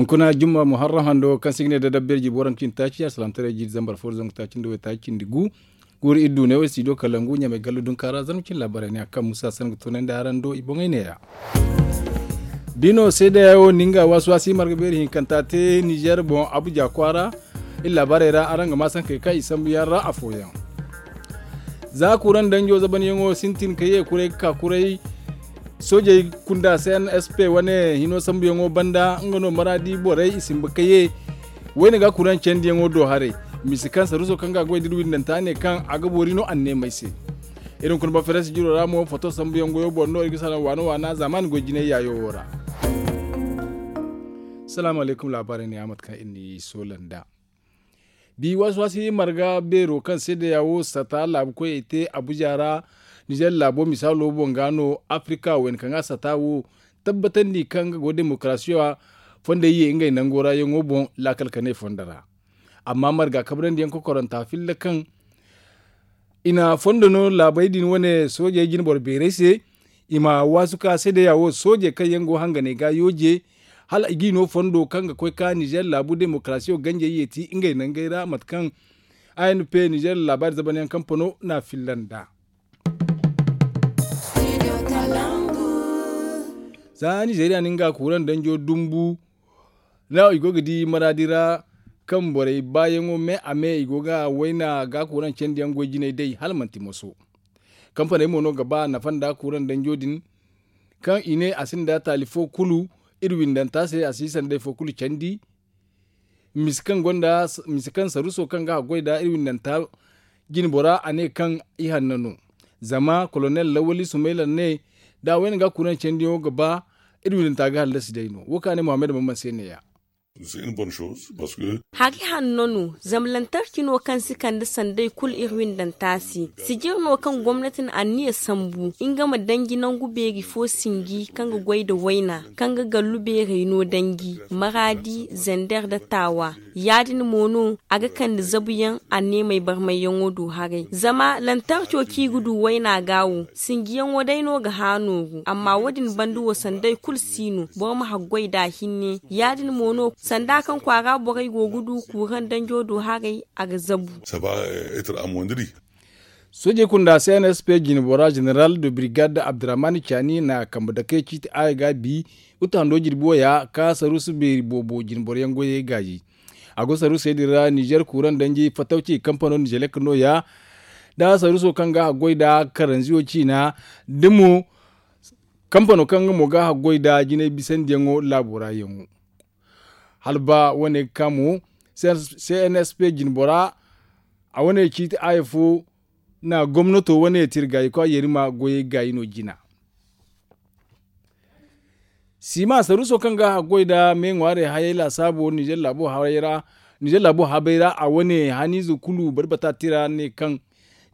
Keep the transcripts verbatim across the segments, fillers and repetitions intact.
Kuna jumma muharram hando kaŋ se i ga ne da dabbeer jibo waranka cindi taaci alsalamtaray jiiri zambar fo da zangu taaci nda waytaaci cindi gu. Guuru iri du ne wo studio kalangu ɲamay gallu dunka ra zarma cine laabaarey ne a kaŋ musa sanda ga toonandi araŋ do i boŋey neeya. Da i no seedeya wo na nga waasi-waasi marga beeri hinkanta te nizer boŋ abuja kwaara. Iri laabaarey ra araŋ ga ma sankey kaŋ i sambu yaŋ ra afooyaŋ. Za kuuraŋ danjo zabanyaŋo sintin ka ye kuray ga ka kuray. Soojey kunda cnsp wane hino sambuyaŋo banda nga no maraadi borey i simba ka ye. Wayne ga kuuraŋ candiyaŋo do haray. Misi kaŋ saruso kaŋ ga a goy da iri windanta ne kaŋ a ga boori no anneemey se. Iri hunkuna bafaransi jiro ra mo foto sambuyaŋ goyo boŋ no iri ga salaŋ waana waana zaamaani goy jinay yaayo wo ra. Salaamu alaykum laabaarey ne ya mate kaŋ iri n'i soola nd'a. Bi waasi-waasi marga beero kaŋ seedeya wo sata laabu koyey te abuja ra. Nizer laabo misaalo boŋ ga no afirika wayne kaŋ ga sata wo tabbatandi kaŋ nga go demokarasiya fondey ye ngey nango ra yaŋo boŋ laakal kanay fondo ra. Amma marga kabrandi yaŋ kokoranta filla kaŋ i na fondo no laabey din wane soojey jine boro beerey se. I ma waasu ka seedeya wo soojey kaŋ yaŋ go hanganey ga yooje hala i g'i no fondo kaŋ ga koy ka nizer laabu demokarasiyo ganjey yeeti ngey nangey ra mate kaŋ anp nizer laabaari zabanyaŋ kampano n'a filla nd'a. Za nizeriya na nga kuuraŋ danjo dumbu no i go ga di maraadi ra kaŋ borey baayaŋo me a me i go ga wayna ga kuuraŋ candiyaŋ goy jinay day hala manti moso. Kampaney mo no ga ba nafa nda kuuraŋ danjo din kaŋ i ne a sinda taali fo kulu iri windanta se a si sanda day fo kulu candi. Misi kaŋ gonda misi kaŋ saruso kaŋ ga haggoy nda iri windanta jinbora a ne kaŋ i hanno no. Zama kolonel lawali sumayla ne da a wayna ga kuuraŋ candiyaŋo ga ba iri windanta ga hallasi day no wo kaŋ a ne muhammad bamban se ne ya. Hari hanno no zama lantarki no kaŋ si kande sanday kulu iri windanta se. Sijir no kaŋ gomnati na anniya sambu nga ma danji nangu beeri fo sinji kaŋ ga goy nda wayna kaŋ ga gallu beerey no danji maraadi zander nda taawa. Ya- din mo no a ga kande zabuyaŋ anneemey barmayyaŋo do haray zama lantarco kaŋ i ga du wayna ga wo sinjiyaŋo day no ga hã nooru amma wo- din banda wo sanday kulu si no boro ma haggoy nd'a hinne. Ya- din mo no sanda kaŋ kwaara borey go ga du kuuraŋ danjo do haray a ga zabu. Soojey kunda cnsp jinbora jeneral de birigad abdurrahman caani na kambe dake ciiti aya ga bi. Uta hando jirbi wo ya ka saruusu beeri boobo jinboro yaŋ goyey gaayi. A go saruusey din ra nizer kuuraŋ danji fatawci kampano nizelek no- ya da saruuso kaŋ ga haggoy nda karanziyo ciina da mo kampano kaŋ nga mo ga haggoy nda jinay bisandiyaŋo laabo ra yaŋo. Hala ba wane ga ka mo cnsp jinbora a wane ciiti aya fo na gomnato wane tirgaayi kwa yerima goyey gaayi no jina. Sima saruuso kaŋ ga haggoy nda me ŋwaarey hayey laasaabo nizer laabo habay ra a wane haniize kulu barbata tira ne kaŋ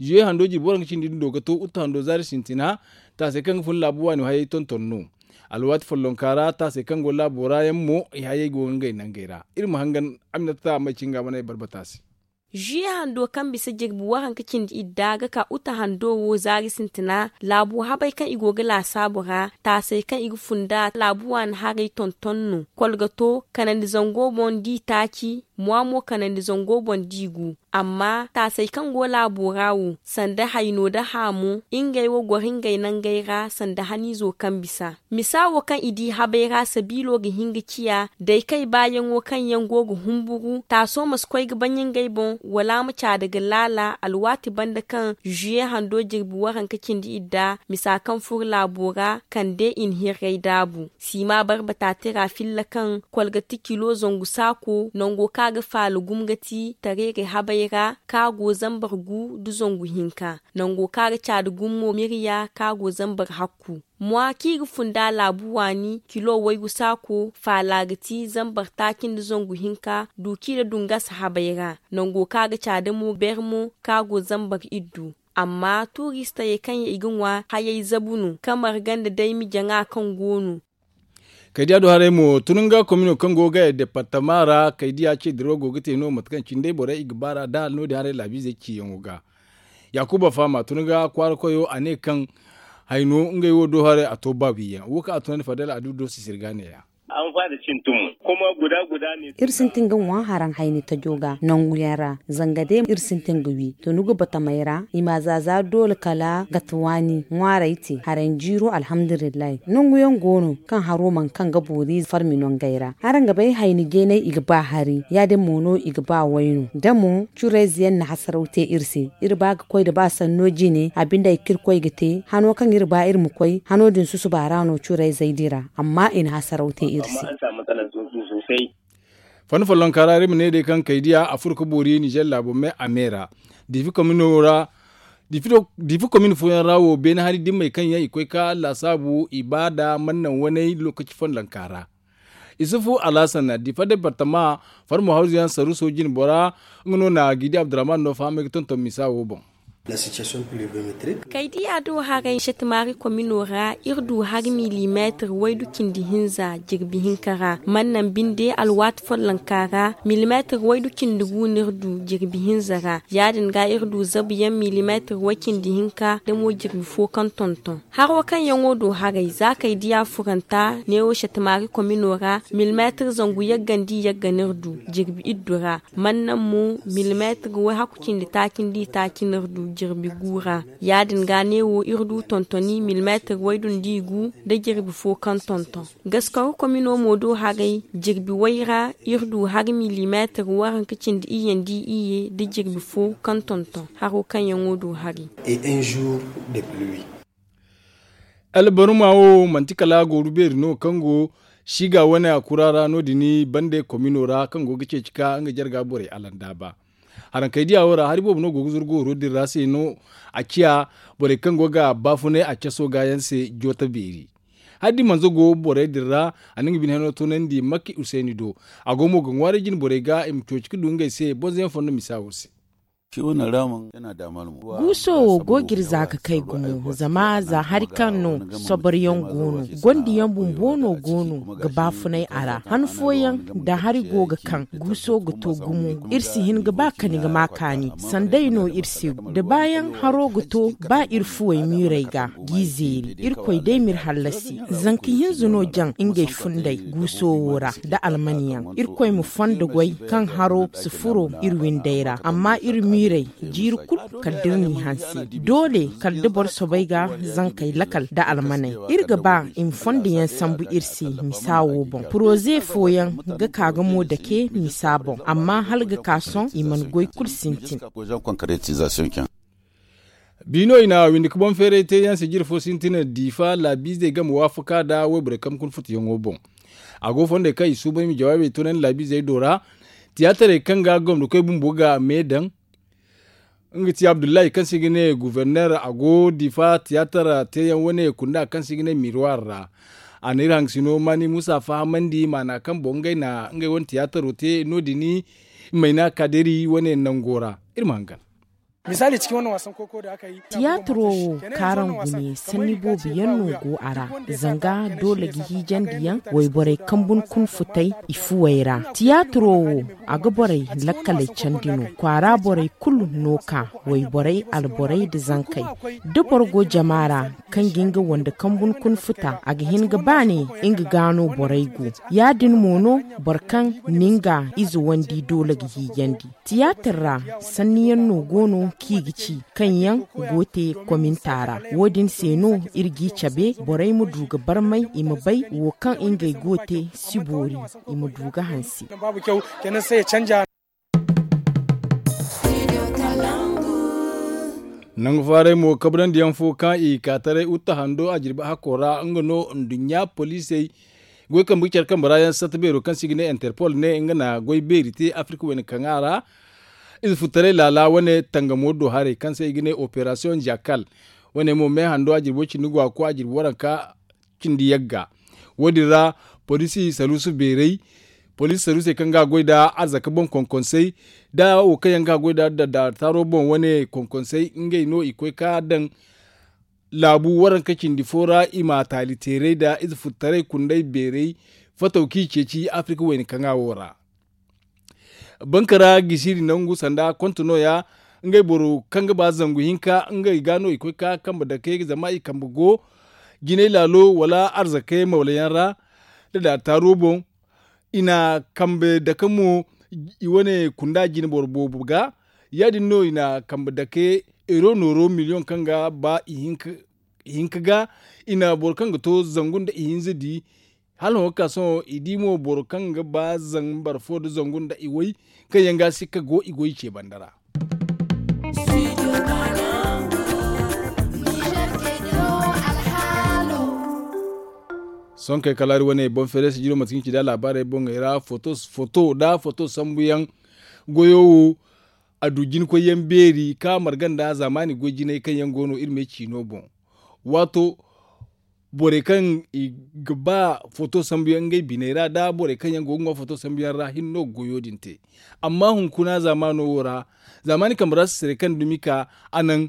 zuye hando jirbi waranka cindi din do ga to uta hando zaari sintina. Taasey kaŋ ga fun laabu waani hayey tonton no. Alwaati follonka ra taasey kaŋ go laabo ra yaŋ mo i hayey go ga ngey nangey ra. Iri ma hangan aminata may cinga wane barbata se. Zuye hando kaŋ bisa jirbi waranka cindi idda ga ka uta hando wo zaari sintina laabu habay kaŋ i go ga laasaabu ra taasey kaŋ i ga fun nda laabu waani haray tonton no. Kolgato kanandi zango boŋ da i taaci. Mwa mo kanandi zango boŋ da i gu. Amma taasey kaŋ go laabo ra wo sanda hayno nda haamu ngey wo goro ngey nangey ra sanda haniizo kaŋ bisa. Misa wo kaŋ i di habay ra sabiilo ga hin ga ciya day kay baayaŋo kaŋ yaŋ go ga humburu taaso ma si koy ga baɲ ngey boŋ wala a ma caada ga laala alwaati banda kaŋ zuye hando jirbi waranka cindi idda misa kaŋ furo laabo ra kande i na hirray daabu. Siima barbata tira filla kaŋ kolgati kilo zangu saako nango kaŋ a ga faala gumo ga ti tareeray habay ra kaŋ a go zambar gu nda zangu hinka nango kaŋ a ga caada gumo mirya kaŋ a go zambar hakku. Mwa kaŋ i ga fun nda laabu waani kilo waygu saako faala ga ti zambar taaci nda zangu hinka duuci nda dungas habay ra nango kaŋ a ga caada mo bermo kaŋ a go zambar iddu. Amma tuuristayey kaŋ yaŋ i ga ŋwa hayey zabu no kaŋ marga nda daymi jaŋa kaŋ go no. Kaydiya do haray mo tununga komino kaŋ go ga departama ra kaydiya ce dirawo go ga te no mate kaŋ cindey borey i ga baar'a da hala no- din haray laabiizey ciyaŋo ga. Yaakuba faama tununga kwaara koyo a ne kaŋ hayno ngey wo do haray a to baabiyaŋ wo kaŋ a tunandi fadal a du do sisiri ga neeya. Iri sintin ga ŋwa haraŋ hayni tajo ga nangu yaŋ ra. Zanga day iri sintin ga wi to ni ga batamey ra i ma a za za doole kala gate waani ŋwaarey te haraŋ jiiro alhamdulillahi. Nangu yaŋ go no kaŋ haro mana kaŋ ga boori farmi nangey ra. Araŋ ga bay hayni jeeney i ga ba hari ya- din mo no i ga ba wayno da mo curayze yaŋ na hasaraw te iri se. Iri ba ga koy nda ba sanno jine a binde ay kaŋ iri koy ga te hano kaŋ iri ba iri ma koy hano din susuba ra no curayzey dira. Amma i na hasaraw te iri se. Fanda follonka ra iri ma ne day kaŋ kaydiya a furo ga boori ninzeer laabo me a me ra. Diifi komin fooyaŋ ra wo beene hari dimmey kaŋ yaŋ i koy ga laasaabu i ba nda mana naŋ waney lookaci follonka ra. Isufu alhasan diifa deepartama farmo hawzu yaŋ saruuso jine bora nga no na gidi abdurrahman no fahamay ga tonton misa wo boŋ. Kaydiya do haray shatamaari komino ra iri du hari milimeetir waydu cindi hinza jirbi hinka ra. Mana naŋ binde alwaati follonka ra milimeetir waydu cindi gu no iri du jirbi hinza ra. Ya- din ga iri du zabu yaŋ milimeetir way cindi hinka da mo jirbi fo kaŋ tonton. Haro kaŋ yaŋo do haray za kaydiya furanta neewo shatamaari komino ra milimeetir zangu yaggandi yagga no iri du jirbi iddu ra. Mana naŋ mo milimeetir way hakku cindi taaci nda i taaci no iri du jirbi gu ra. Ya- din ga neewo iri du tontoni milimeetir waydu nda i gu nda jirbi fo kaŋ tonton. Gaskoro komino mo do haray jirbi way ra iri du hari milimeetir waranka cindi iyye nda iyye nda jirbi fo kaŋ tonton haro kaŋ yaŋo do hari. Albaruma wo manti kala gooru beeri no kaŋ go siiga wane a kura ra no- din bande komino ra kaŋ go ga ceeci ka nga jarga borey alandaaba. Harankey diya wo ra hari boobo no go ga zuru gooro din ra se no a ciya borey kaŋ go ga baafunay a caso ga yaŋ se joota beeri. Hari da i manza go borey din ra a na nga bine hano toonandi makki usayni do. A go mo ga ŋwaaray jine borey ga i ma cooci ga du ngey se bonzo yaŋ fondo misa wo se. Guuso wo go ga iri za ga kay gumo zama za hari kaŋ no soboryaŋ go no. Gondi yaŋ bumbo no go no ga baafunay a ra han fooyaŋ da hari go ga kaŋ guuso ga to gumo. Iri si hin ga ba kani ga ma kaani sanday no iri se da baayaŋ haro ga to ba iri fuwey miirey ga g'i zeeri irkoy day m'iri hallasi. Zanka hinza no jaŋ ngey funday guuso wo ra da almaniyaŋ irkoy ma fondo goy kaŋ haro si furo iri windey ra amma iri miirey jiiri kulu kala da iri n'i hanse. Doole kala da boro soobay ga zankey lakal da almaney iri ga ba i ma fondo yaŋ sambu iri se misa wo boŋ poroze fooyaŋ ga ka ga mo dake misa boŋ amma hala ga ka sohõ i mana goy kulu sintin. Biino i na windi ka boŋ feeray te yaŋ se jire fo sintina diifa laabiizey game waafaka nda wayborey kaŋ kuna futuyaŋo boŋ. A go fondey kaŋ i suuban i ma jawaabey toonandi laabiizey do ra. Tiyaatarey kaŋ ga gomnati koy bumbo ga me daŋ nga ti abdullahi kaŋ se i ga ne guverner a go diifa tiyaatar teeyaŋ wane kunda kaŋ se i ga ne mirwar ra. A na iri hangasino maani muusa fahamandi maana kaŋ boŋ ngey na ngey wane tiyaataro te no- din. Mayna kaadari wane nango ra iri ma hangan. Tiyaataro wo kaaraŋ gune sanni boobo yaŋ no go a ra. Zanga doole ga hiijandi yaŋ wayborey kambun kuna futay i fuwey ra. Tiyaataro wo a ga borey lakkaley candi no kwaara borey kulu no ka wayborey alborey nda zankey. Da boro go jama ra kaŋ ga nga wande kambun kuna futa a ga hin ga ba ne nga ga no borey go. Ya- din mo no boro kaŋ na nga ize wandi doole ga hiijandi. Tiyaatar ra sanniyaŋ no go no kaŋ i ga ci kaŋ yaŋ go te kominta ra. Wo- din se no iri g'i cabe borey ma du ga barmay i ma bay wo kaŋ ngey go te si boori i ma du ga hanse. Nangu faaray mo kabrandi yaŋ fo kaŋ i ka taray utta hando a jirbi hakko ra nga no nduɲɲa poliisey goy kambe ga care kambe ra yaŋ satta beero kaŋ se i ga ne interpol ne nga na goy beeri te afirka wayna kaŋa ra. Ize futtaray laala wane tangamo do haray kaŋ se i ga ne operasiyoŋ jakal. Wane mo me hando a jirbo cindi go a ko a jirbi waranka cindi yagga. Wo- din ra poliisi saruusu beeray poliisi saruusey kaŋ ga a goy nda arzaka boŋ konkonsey nda wo kaŋ yaŋ ga a goy nda daara taaro boŋ wane konkonsey ngey no i koy ka daŋ laabu waranka cindi fo ra i ma taali teeray nda ize futtaray kunday beeray fataw kaŋ i ceeci afirka wayna kaŋa wo ra. Bankara gisiri nangu sanda konto nooya ngey boro kaŋ ga ba zangu hinka ngey ga no i koy ka kambe dake zama i kambe go jinay laalo wala arzakey mawla yaŋ ra. da taaro boŋ. I na kambe dake mo i wane kunda jine boro boobo ga. Ya- din no i na kambe dake euro nooro miliyoŋ kaŋ ga ba ihinka ga. I na boro kaŋ ga to zangu nda ihinza di. Hala hõ ga ka sohõ i di mo boro kaŋ ga ba zambar fo nda zangu nda iway kaŋ yaŋ ga a si ka go i goy ce banda ra. Sohõ kay kala hari wane boŋ feere sijiro mate kaŋ i ci nda laabaarey boŋey ra foto nda foto sambu yaŋ. Goyo wo a du jinkoy yaŋ beeri ka marga nda zaamaani goy jinay kaŋ yaŋ go no iri me ciino boŋ. Waato borey kaŋ i ga ba foto sambu yaŋ ngey biney ra nda borey kaŋ yaŋ go ga ŋwa foto sambu yaŋ ra hinne no ga goyo din te. Amma hunkuna zaamaano wo ra zaamaani kambe ra sisirey kaŋ dumi ka a naŋ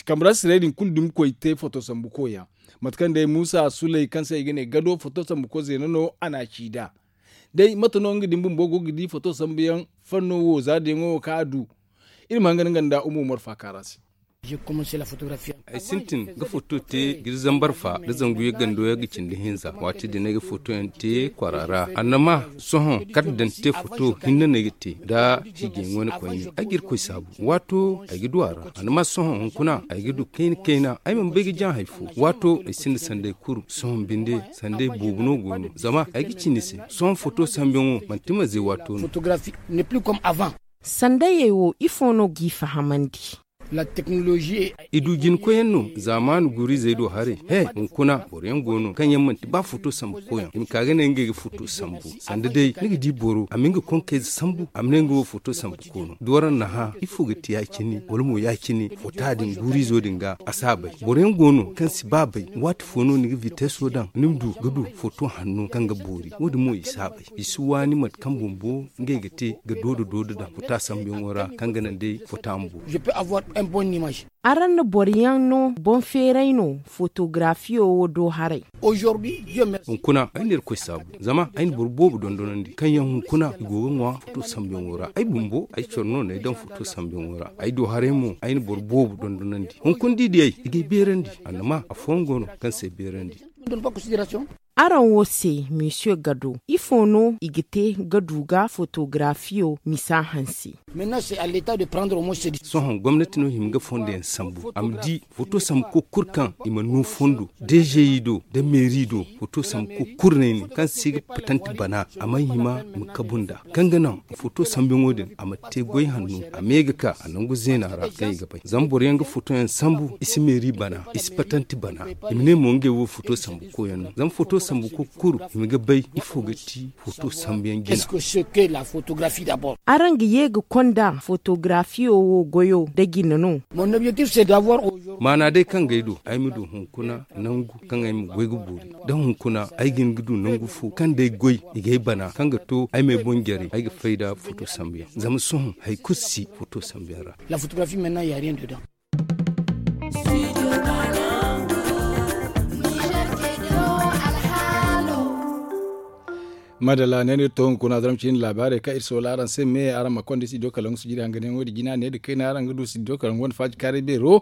kambe ra sisirey din kulu dumi koy te foto sambu koy yaŋ. Mate kaŋ day muusa suley kaŋ se i ga ne gado foto sambu koy zeena no a na a ci nd'a. Day mate no nga din bumbo go ga di foto sambu yaŋ fanno wo za da yaŋo wo kaŋ a du. Iri ma hangan nga nda umo marfa kaara se. Ay sintin ga foto te ga iri zambar fa nda zangu yaŋ gando yaŋ ga cindi hinza waati din ay ga foto yaŋ te kwaara ra annama sohõ kala daŋ te foto hinne no ay ga te nda hijiyaŋ wane koyne ay ga irkoy saabu. Waato ay ga du a ra annama sohõ hunkuna ay ga du kayna kayna ay mana bay ga jaŋ hari fo. Waato ay sinda sanday kuru sohõ binde sanday boobo no go no zama ay ga ci ni se sohõ foto sambu yaŋo manti maze waato no. Sandayey wo ifo no g'i fahamandi? I du jinkoyaŋ no zaamaani guuru-izey do haray he hunkuna boro yaŋ go no kaŋ yaŋ manti ba foto sambu koyyaŋ i ma ka ga ne ngey ga foto sambu. Sanda day ni ga di boro a ma nga konkayze sambu a ma ne nga wo foto sambu koyno da waraŋ na hã ifo ga te ya- cine wala mo ya- cine fota din guuru-izo din ga a si a bay. Boro yaŋ go no kaŋ si ba bay waati fo no ni ga viteso daŋ ni ma du ga du foto hanno kaŋ ga boori wo- din mo i si a bay. I si waani mate kaŋ bumbo ngey ga te ga doodo doodo daŋ fota sambuyaŋo ra kaŋ ga naŋ day fota ma boori. Araŋ na boro yaŋ no boŋ feeray no fotogarafiyo wo do haray? Hunkuna ay na irkoy saabu zama ay na boro boobo dondonandi kaŋ yaŋ hunkuna i go ga ŋwa foto sambuyaŋo ra ay bumbo ay care no no ay daŋ foto sambuyaŋo ra ay do haray mo ay na boro boobo dondonandi hunkuna da i diyay i ga ay beerandi. Annama afooyaŋ go no kaŋ si ay beerandi. Araŋ wo se monsieur gado ifo no i ga te ga du ga fotogarafiyo misa hanse? Sohõ gomnati no hima ga fondo yaŋ sambu a ma di foto sambu koy kulu kaŋ i mana no fondo dezeyi do nda meeri do. Foto sambu koy kulu no ay ne kaŋ si ga patanti bana a mana hima i ma kabu nd'a kaŋ ga naŋ foto sambuyaŋo din a ma te goy hanno a me ga ka a nangu zeena ra kaŋ i ga bay zama boro yaŋ ga foto yaŋ sambu i si meeri bana i si patanti bana. I ma ne mo ngey wo foto sambu koy yaŋ no zama foto sambu koy kulu i ma ga bay ifo ga ti foto sambu yaŋ jina. Araŋ ga ye ga konda fotogarafiyo wo goyo nda jina no? Maana day kaŋ ga ay do ay ma du hunkuna nangu kaŋ ay ma goy ga boori da hunkuna ay ga hin ga du nangu fo kaŋ day goy i ga ay bana kaŋ ga to ay ma ay boŋ jare ay ga fay nda foto sambu yaŋ zama sohõ hari kulu si foto sambu yaŋ ra. Madalla ne no iri to hunkuna zaram cine laabaarey kaŋ iri soola araŋ se me araŋ ma konda studio kalangu sijiri hanganyaŋo din jina ne da kayna araŋ ga du studio kalangu wane faaji kaaray beero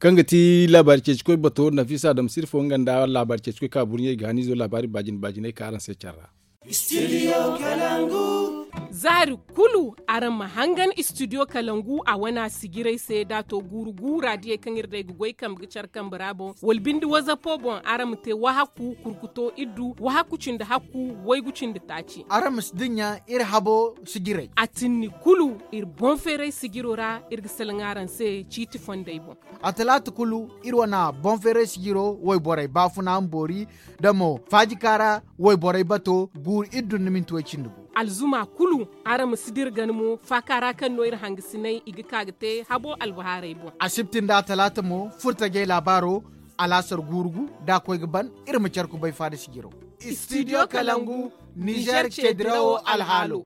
kaŋ ga ti laabaari ceeci koy bato nafisa adama sirfo nga nda laabaari ceeci koy kaŋ a burɲey ga haniizo laabaari baajina baajiney kaŋ araŋ se care ra. Zaari kulu araŋ ma hangan studio kalangu a wana sijiray se da to guuru guura diyey kaŋ iri day ga goy kambe ga care kambe ra boŋ wala binde wazapo boŋ araŋ ma te wahakku kurkuto iddu wahakku cindi hakku waygu cindi taaci. Araŋ ma si dinya iri habo sijiray a tinni kulu iri boŋ feeray sijiro ra iri ga salaŋ araŋ se ciiti fondey boŋ. A talaata kulu iri wana boŋ feeray sijiro wayborey baafuna ma boori da mo faaji kaara wayborey bato guuru iddu nda minti way cindi gu. Alzuma kulu araŋ ma si dira gana mo faaka ra kaŋ no iri hangasinay i ga ka ga te habo albahaarey boŋ. Asibti nda talaata mo furtajey laabaaro alaasar guuru gu da a koy ga ban iri ma care kubay faada sijiro. Studio kalangu nizer cedirawo alhaalo.